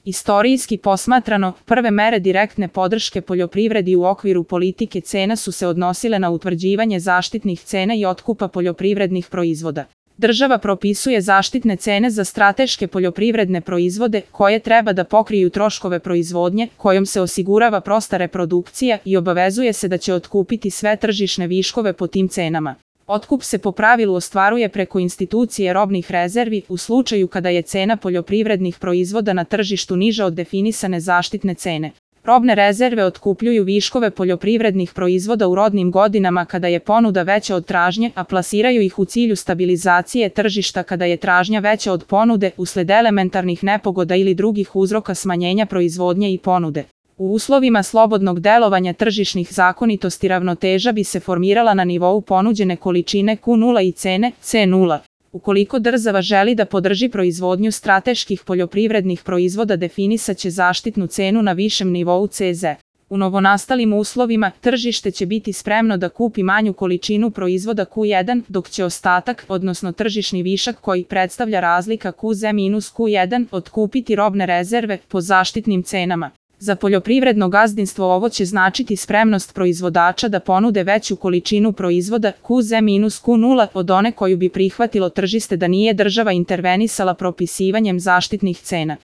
Istorijski posmatrano, prve mere direktne podrške poljoprivredi u okviru politike cena su se odnosile na utvrđivanje zaštitnih cena i otkupa poljoprivrednih proizvoda. Država propisuje zaštitne cene za strateške poljoprivredne proizvode koje treba da pokriju troškove proizvodnje, kojom se osigurava prosta reprodukcija i obavezuje se da će otkupiti sve tržišne viškove po tim cenama. Otkup se po pravilu ostvaruje preko institucije robnih rezervi u slučaju kada je cena poljoprivrednih proizvoda na tržištu niža od definisane zaštitne cene. Robne rezerve otkupljuju viškove poljoprivrednih proizvoda u rodnim godinama kada je ponuda veća od tražnje, a plasiraju ih u cilju stabilizacije tržišta kada je tražnja veća od ponude usled elementarnih nepogoda ili drugih uzroka smanjenja proizvodnje i ponude. U uslovima slobodnog delovanja tržišnih zakonitosti ravnoteža bi se formirala na nivou ponuđene količine Q0 i cene C0. Ukoliko država želi da podrži proizvodnju strateških poljoprivrednih proizvoda, definisaće zaštitnu cenu na višem nivou CZ. U novonastalim uslovima, tržište će biti spremno da kupi manju količinu proizvoda Q1, dok će ostatak, odnosno tržišni višak koji predstavlja razlika QZ-Q1, otkupiti robne rezerve po zaštitnim cenama. Za poljoprivredno gazdinstvo ovo će značiti spremnost proizvodača da ponude veću količinu proizvoda QZ-Q0 od one koju bi prihvatilo tržište da nije država intervenisala propisivanjem zaštitnih cena.